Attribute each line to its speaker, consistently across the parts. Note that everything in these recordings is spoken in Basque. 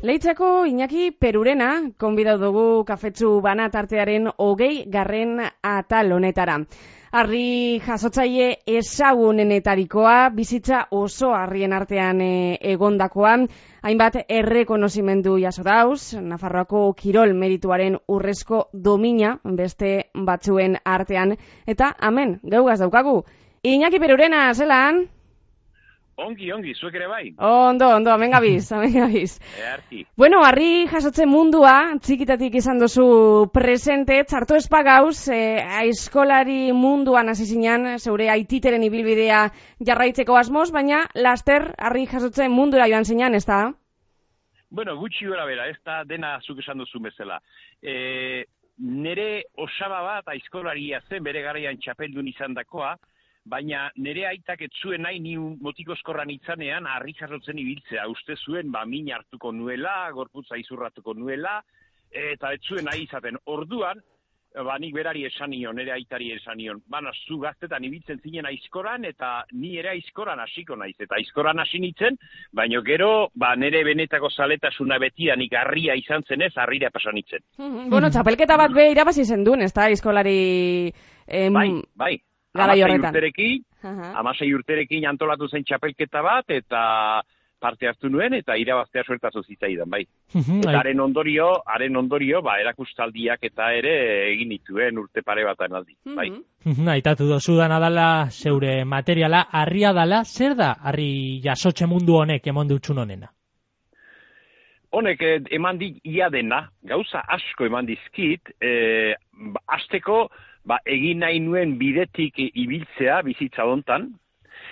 Speaker 1: Leitzako Iñaki Perurena, konbidatu dugu kafetsu bana tartearen 20. atal honetara. Harri jasotzaile ezagunenetarikoa, bizitza oso harrien artean egondakoa, hainbat errekonozimendu jaso dauz, Nafarroako kirol merituaren urrezko domina beste batzuen artean, eta amen, geugaz daukagu. Iñaki Perurena, zelan?
Speaker 2: Ongi, zuek ere bai?
Speaker 1: Ondo, amen gabiz.
Speaker 2: Earki.
Speaker 1: Bueno, harri jasotzen mundua, txikitatik izan duzu presente, txarto espagauz, aizkolari munduan hasi zinan, zeure aititeren ibilbidea jarraitzeko asmoz, baina laster harri jasotzen mundura joan zinan, ez da?
Speaker 2: Bueno, gutxi gora bera, ez da dena zuk esan duzu bezala. Nere osaba bat aizkolaria zen bere garaian txapeldun izan dakoa, baina nire aitak ez zuen nahi ni motikozkorran itzanean harri jasotzen ibiltzea. Uste zuen, min hartuko nuela, gorputza izurratuko nuela, eta ez zuen nahi izaten. Orduan, nik berari esan nion, nire aitari esan nion, zu gaztetan ibiltzen zinen aizkoran, eta ni ere aizkoran hasiko naiz. Eta aizkoran hasi nintzen, baina gero, nire benetako zaletasuna betidanik harria izan zenez, harrira pasan nintzen.
Speaker 1: Bueno, txapelketa bat be irabazi zen duen, ez da, aizkolari...
Speaker 2: Bai. 16 urterekin antolatu zen txapelketa bat, eta parte hartu nuen, eta irabaztea suertazu zitzaidan, bai. Eta haren ondorio, erakustaldiak eta ere egin dituen urte pare batan aldi, bai.
Speaker 3: Aitatu dozu dana dala, zeure materiala, harria dala, zer da harri jasotxe mundu honek eman dutxun honena?
Speaker 2: Honek eman dit ia dena, gauza asko eman dizkit, hasteko, egin nahi nuen bidetik ibiltzea bizitza hontan,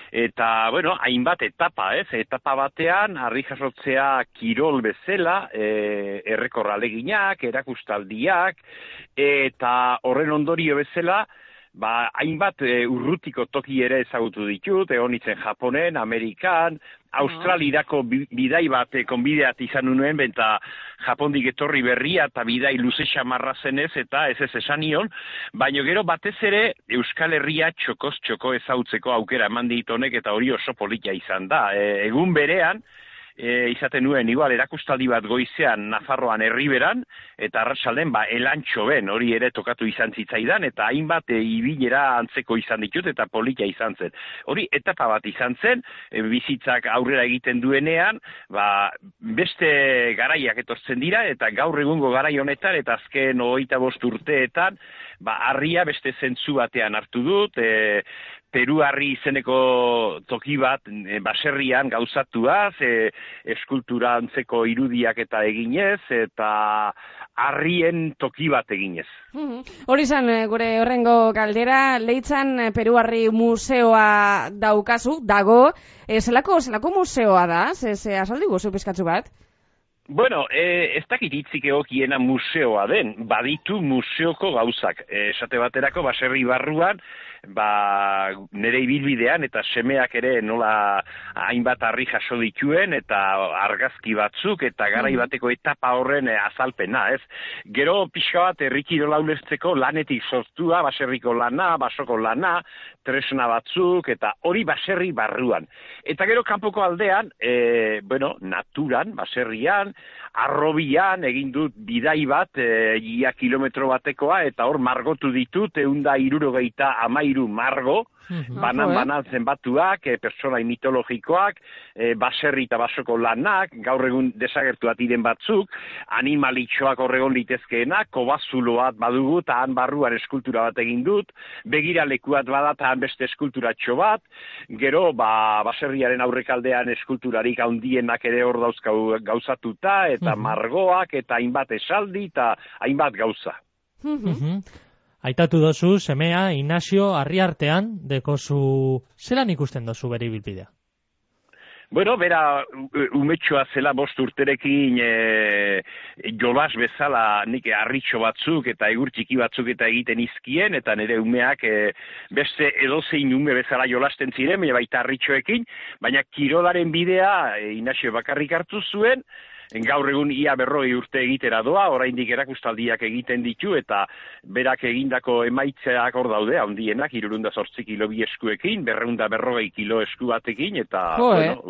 Speaker 2: eta, hainbat etapa, etapa batean, harri jasotzea kirol bezala, errekor aleginak, erakustaldiak, eta horren ondorio bezala, hainbat urrutiko toki ere ezagutu ditut, egon nintzen Japonen, Amerikan, Australirako bidai bat konbideat izan nuen, eta Japondik etorri berria eta bidai luze xamarra zenez, eta ez esan nion, baina gero batez ere Euskal Herria txokoz txoko ezautzeko aukera eman dit honek, eta hori oso polita izan da. Egun berean, izaten nuen, igual, erakustaldi bat goizean Nafarroan Erriberan, eta arratsalden Elantxoben, hori ere tokatu izan zitzaidan, eta hainbat ibilera antzeko izan ditut, eta polita izan zen. Hori etapa bat izan zen, bizitzak aurrera egiten duenean, beste garaiak etortzen dira, eta gaur egungo garai honetan, eta azken 25 urteetan, harria beste zentzu batean hartu dut, Peru harri izeneko toki bat baserrian gauzatuaz, eskultura antzeko irudiak eta eginez, eta harrien toki bat eginez.
Speaker 1: Hori zan, gure horrengo galdera, Leitzan Peru harri museoa dago, zelako museoa da? Azaldi guzu pizkatzu bat?
Speaker 2: Bueno, ez dakit hitzik egokiena museoa den, baditu museoko gauzak. Esate baterako, baserri barruan, nire ibilbidean eta semeak ere nola hainbat harri jaso dituen eta argazki batzuk eta garai bateko etapa horren azalpena, ez? Gero pixka bat herrikirola ulertzeko lanetik sortua, baserriko lana, basoko lana, tresna batzuk eta hori baserri barruan. Eta gero kanpoko aldean, naturan, baserrian, arrobian egin dut bidai bat, ia kilometro batekoa, eta hor margotu ditut, 163 margo, banan zenbatuak, personai mitologikoak, baserri eta basoko lanak, gaur egun desagertuat diren batzuk, animalitxoak horregon litezkeenak, kobazuloat badugu, eta han barruan eskultura bat egin dut, begiralekuat bada, eta han beste eskulturatxo bat, gero, baserriaren aurrekaldean eskulturarik handienak ere hor dauzkau gauzatuta, eta margoak, eta hainbat esaldi, eta hainbat gauza.
Speaker 3: Aitatu dozu, semea, Inazio, Harriartean, dekozu, zelan ikusten dozu bere ibilbidea?
Speaker 2: Bueno, bera umetxoa zela 5 urterekin jolas bezala nik harritxo batzuk eta egur txiki batzuk eta egiten izkien, eta nire umeak beste edozein ume bezala jolasten ziren, baita harritxoekin, baina kirolaren bidea Inazio bakarrik hartu zuen, gaur egun ia 40 urte egitera doa, oraindik erakustaldiak egiten ditu, eta berak egindako emaitzeak hor daude, handienak, 308 kilo bi eskuekin, 240 kilo esku batekin, eta,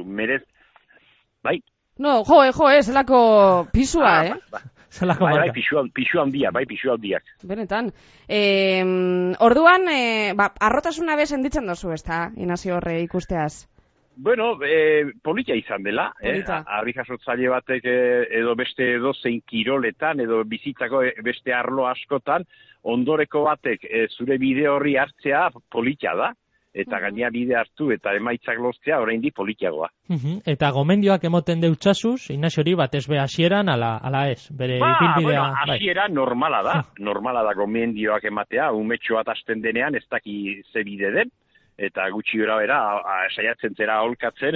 Speaker 2: merez, bai.
Speaker 1: No, zelako pisua,
Speaker 3: Zelako
Speaker 2: Bai,
Speaker 3: marka.
Speaker 2: pisu handiak.
Speaker 1: Benetan. Orduan, arrotasuna be senditzen dozu, ezta, Inazio horre ikusteaz.
Speaker 2: Bueno, polita izan dela, harri jasotzaile batek edo beste zein kiroletan, edo bizitzako beste arlo askotan, ondoreko batek zure bide horri hartzea polita da. Eta gainea bide hartu eta emaitzak lortzea oraindik politiagoa.
Speaker 3: Eta gomendioak emoten deutsasuz, Inaziori batez be hasieran ala ez, bere ibilbidea.
Speaker 2: Hasieran normala da gomendioak ematea, umetxo bat hasten denean ez daki ze bide den, eta gutxi gora bera saiatzen zera aholkatzen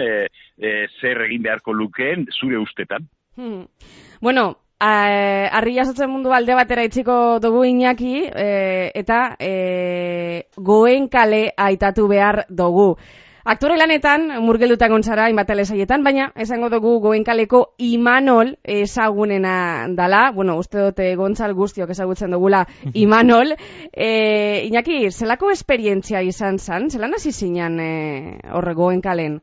Speaker 2: zer egin beharko lukeen zure ustetan.
Speaker 1: Bueno, harri jasotzen mundu alde batera itziko dugu Iñaki, eta Goenkale aitatu behar dugu. Aktore lanetan, murgelduta gontzara, hainbat telesaietan, baina esango dugu Goenkaleko Imanol ezagunena dala. Bueno, uste dute Gontzal guztiok ezagutzen dugula Imanol. Iñaki, zelako esperientzia izan zan? Zelan hasi zinan horre Goenkalen?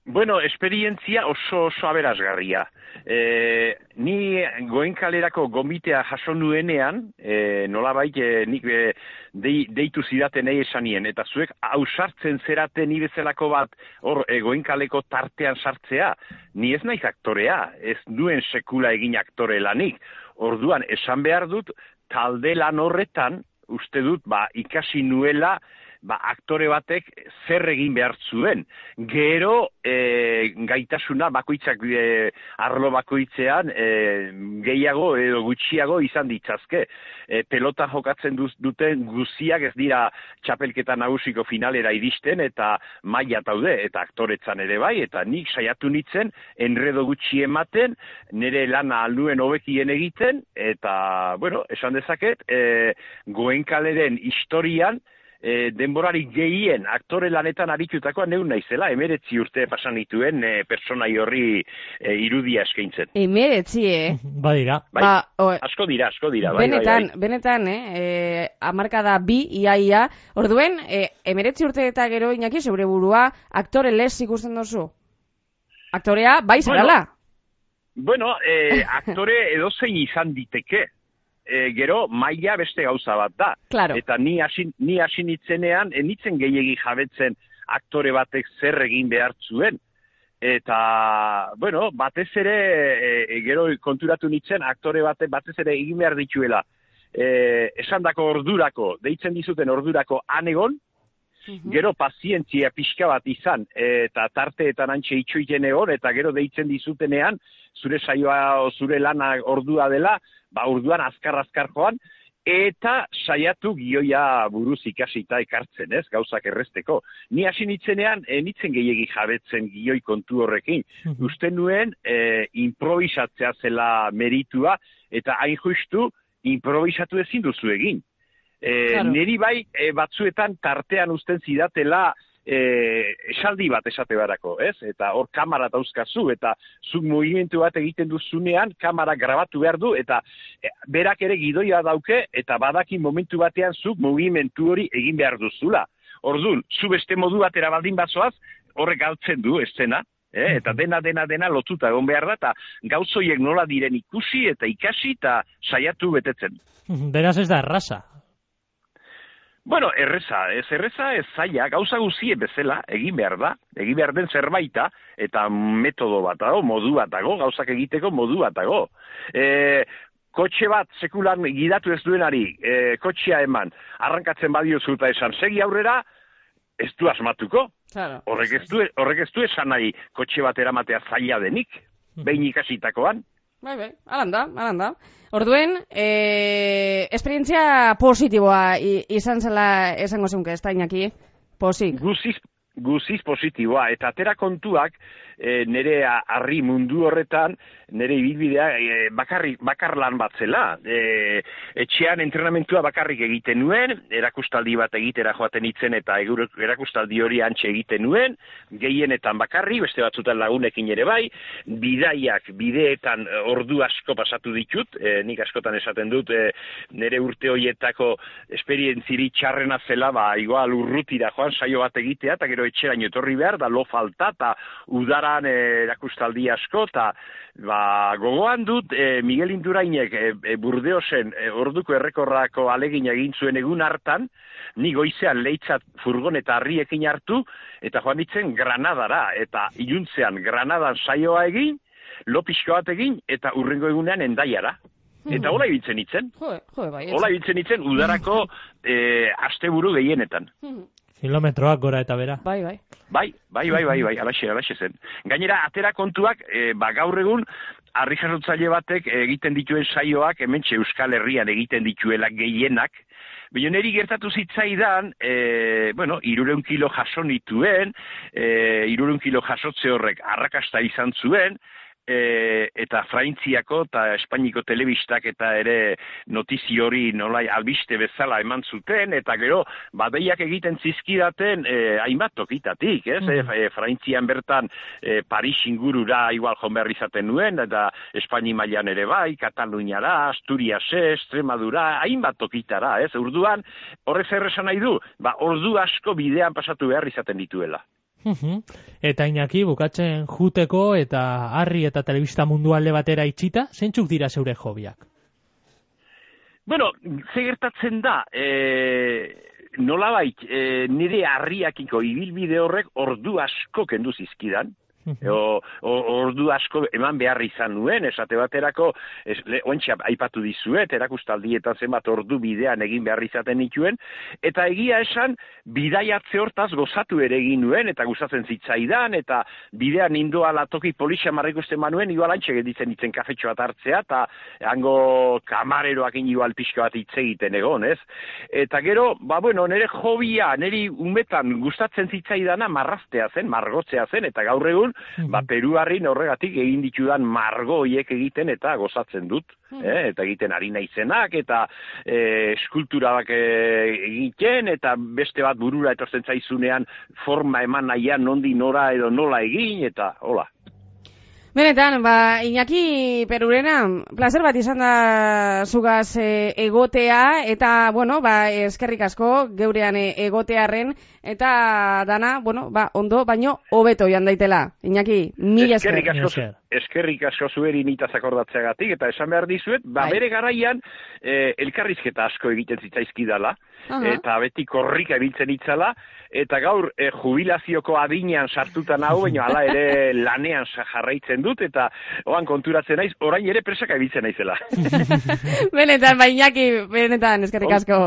Speaker 2: Bueno, esperientzia oso aberasgarria. Ni Goenkalerako gomitea jaso nuenean, nolabait nik deitu zidatenei esanien, eta zuek ausartzen zeraten ni bezalako bat hor Goenkaleko tartean sartzea, ni ez naiz aktorea, ez duen sekula egin aktore lanik. Orduan, esan behar dut, talde lan horretan, uste dut, ikasi nuela, aktore batek zer egin behar zuen. Gero gaitasuna bakoitzak arlo bakoitzean gehiago edo gutxiago izan ditzazke. Pelota jokatzen duten guziak ez dira txapelketa nagusiko finalera iristen eta maila daude eta aktoretzan ere bai, eta nik saiatu nitzen enredo gutxi ematen, nire lana alduen hobekien egiten, eta, bueno, esan dezaket, Goenkaleren historian denborari gehien aktore lanetan aritutakoa neun naizela, 19 urte pasan dituen personai horri irudia eskaintzen.
Speaker 1: 19,
Speaker 3: Badira.
Speaker 2: Asko dira.
Speaker 1: Benetan, hamarkada 2 ia. Orduen, 19 urte eta gero Iñaki zeure burua aktore lez ikusten dozu? Aktorea, bai zarala?
Speaker 2: Bueno, aktore edozein izan diteke. Gero maila beste gauza bat da.
Speaker 1: Claro.
Speaker 2: Eta ni hasi nitzenean, nitzen gehiegi jabetzen aktore batek zer egin behar zuen. Eta, bueno, batez ere, gero konturatu nitzen, aktore batek batez ere egin behar dituela. Esandako ordurako, deitzen dizuten ordurako anegon, gero pazientzia pixka bat izan, eta tarteetan antxe itxoiten egon, eta gero deitzen dizutenean, zure saioa, zure lana ordua dela, orduan azkar joan, eta saiatu gioia buruz ikasita ekartzen, ez, gauzak erresteko. Ni hasi nitzenean, nitzen gehiegi jabetzen gioi kontu horrekin. Uste nuen, improvisatzea zela meritua, eta hain justu, improvisatu ezin duzu egin. Claro. Neri bai, batzuetan tartean uzten zidatela, esaldi bat esate barako, ez? Eta hor kamera dauzkazu, eta zuk mugimendu bat egiten duzunean, kamera grabatu behar du, eta berak ere gidoia dauke, eta badaki momentu batean zuk mugimendu hori egin behar duzula. Orduan, zu beste modu batera baldin bazoaz, horrek galtzen du eszena, eta dena lotuta egon behar da, eta gauzoiek nola diren ikusi eta ikasi, eta saiatu betetzen.
Speaker 3: Beraz ez da erraza.
Speaker 2: Bueno, erreza ez zaila, gauza guzie bezala, egin behar da, egin behar den zerbaita, eta metodo bat dago, modu bat dago, gauzak egiteko modu bat dago. Kotxe bat sekulan gidatu ez duenari, kotxea eman, arrankatzen badiozu eta esan, segi aurrera, ez du asmatuko.
Speaker 1: Claro.
Speaker 2: Horrek ez du esan nahi kotxe bat eramatea zaila denik, behin ikasitakoan.
Speaker 1: Bai, alanda. Orduen, esperientzia positiboa izan zela esango zeunke, ez da Iñaki? Posik.
Speaker 2: Guziz positiboa, eta atera kontuak nire harri mundu horretan, nire ibilbidea bakar lan bat zela. Etxean entrenamentua bakarrik egiten nuen, erakustaldi bat egitera joaten itzen eta erakustaldi hori antxe egiten nuen, gehienetan bakarri, beste batzutan lagunekin ere bai, bideetan ordu asko pasatu ditut, nik askotan esaten dut, nire urte horietako esperientziri txarrena zela, igual urrutira joan saio bat egitea, eta gero gero etxeraino etorri behar, da lo falta, eta udaran erakustaldi asko, eta gogoan dut Miguel Indurainek Burdeosen orduko errekorrako alegin egin zuen egun hartan, ni goizean leitzat furgoneta harriekin hartu, eta joan ditzen Granadara, eta iluntzean Granadan saioa egin, lo pixko bat egin, eta urrengo egunean Hendaiara. Eta hola ibiltzen itzen. Hola ibiltzen itzen udarako asteburu gehienetan.
Speaker 3: Kilometroak gora eta bera.
Speaker 2: Bai, alaxe zen. Gainera, atera kontuak, gaur egun, harri jasotzaile batek egiten dituen saioak, hementxe Euskal Herrian egiten dituela gehienak, baina niri gertatu zitzaidan, 300 kilo jaso nituen, 300 kilo jasotze horrek arrakasta izan zuen, eta Frantziako eta Espainiko telebistak eta ere notizi hori nolai albiste bezala eman zuten, eta gero badeiak egiten zizkidaten hainbat tokitatik, ez? Frantzian bertan Paris ingurura igual joan behar izaten nuen, eta Espaini mailan ere bai, Kataluniara, Asturias, Extremadura, hainbat tokitara, ez? Orduan, horrez erresan nahi du, ordu asko bidean pasatu behar izaten dituela.
Speaker 3: Eta Iñaki, bukatzen juteko eta harri eta telebista mundu alde batera itxita, zeintzuk dira zeure hobiak?
Speaker 2: Bueno, ze gertatzen da, nolabait, nire harriakiko ibilbide horrek ordu asko kendu zizkidan, ordu asko eman behar izan nuen, esate baterako, ointxe aipatu dizuet, erakustaldietan zenbat ordu bidean egin behar izaten nituen, eta egia esan, bidaiatze hortaz gozatu ere egin nuen, eta gustatzen zitzaidan, eta bidean indoala toki polizia marrikusten manuen, igual antxe gelditzen ditzen kafetxo bat hartzea, eta hango kamareroakin igual pixka bat hitz egiten egon, ez? Eta gero, nire hobia, niri umetan gustatzen zitzaidana marraztea zen, margotzea zen, eta gaur egun, Peruarrin horregatik egin ditudan margo hoiek egiten eta gozatzen dut, eta egiten ari naizenak, eta eskulturak egiten, eta beste bat burura etortzen zaizunean forma eman nahian nondi nora edo nola egin, eta hola.
Speaker 1: Benetan, Iñaki Perurena, placer bat izan da zugaz egotea, eta, eskerrik asko geurean egotearren, eta dana, ondo, baino hobeto joan daitela. Iñaki, mila esker.
Speaker 2: Eskerrik asko zueri nitaz akordatzeagatik, eta esan behar dizuet, bere garaian elkarrizketa asko egiten zitzaizkidala, eta beti korrika ebiltzen itzala, eta gaur jubilazioko adinean sartutan hau, baina hala ere lanean jarraitzen dut, eta oan konturatzen naiz, orain ere presaka ebiltzen naizela.
Speaker 1: Benetan, Iñaki, benetan, eskerrik asko.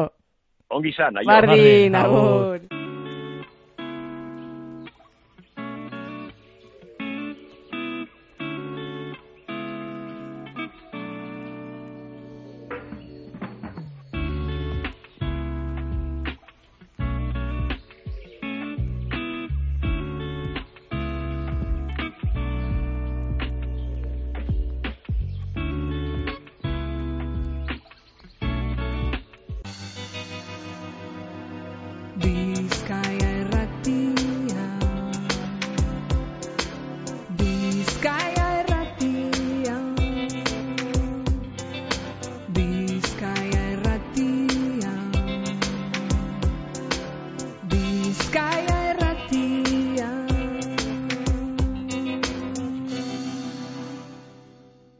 Speaker 2: Ongi zan,
Speaker 1: aio. Bardin, agur.